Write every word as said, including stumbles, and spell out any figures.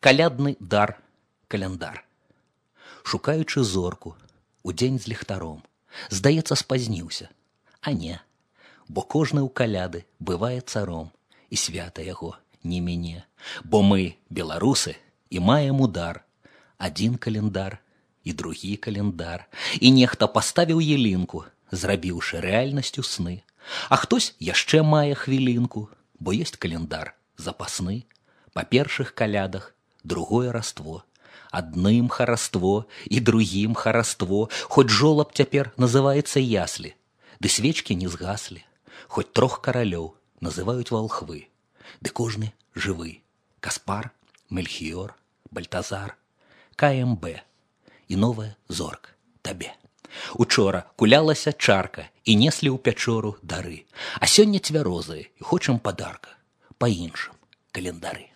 Калядны дар, каляндар. Шукаючы зорку, удзень з ліхтаром, здаецца, спазніўся. А не, бо кожны ў каляды бывае царом, і свята яго не мяне. Бо мы, беларусы, і маем удар. Адзін календар і другі календар. І нехта паставіў ялінку, зрабіўшы рэальнасцю сны. А хтось яшчэ мае хвілінку, бо ёсць календар запасны. Па першых калядах другое раство. Адным хараство і другім хараство. Хоць жолаб цяпер называецца яслі, ды свечкі не згаслі. Хоць трох каралёў называюць валхвы, ды кожны жывы. Каспар, Мельхіёр, Бальтазар, ка эм бэ і новая зорка табе. Учора кулялася чарка і неслі ў пячору дары, а сёння цвярозыя і хочам падарка па іншым календары.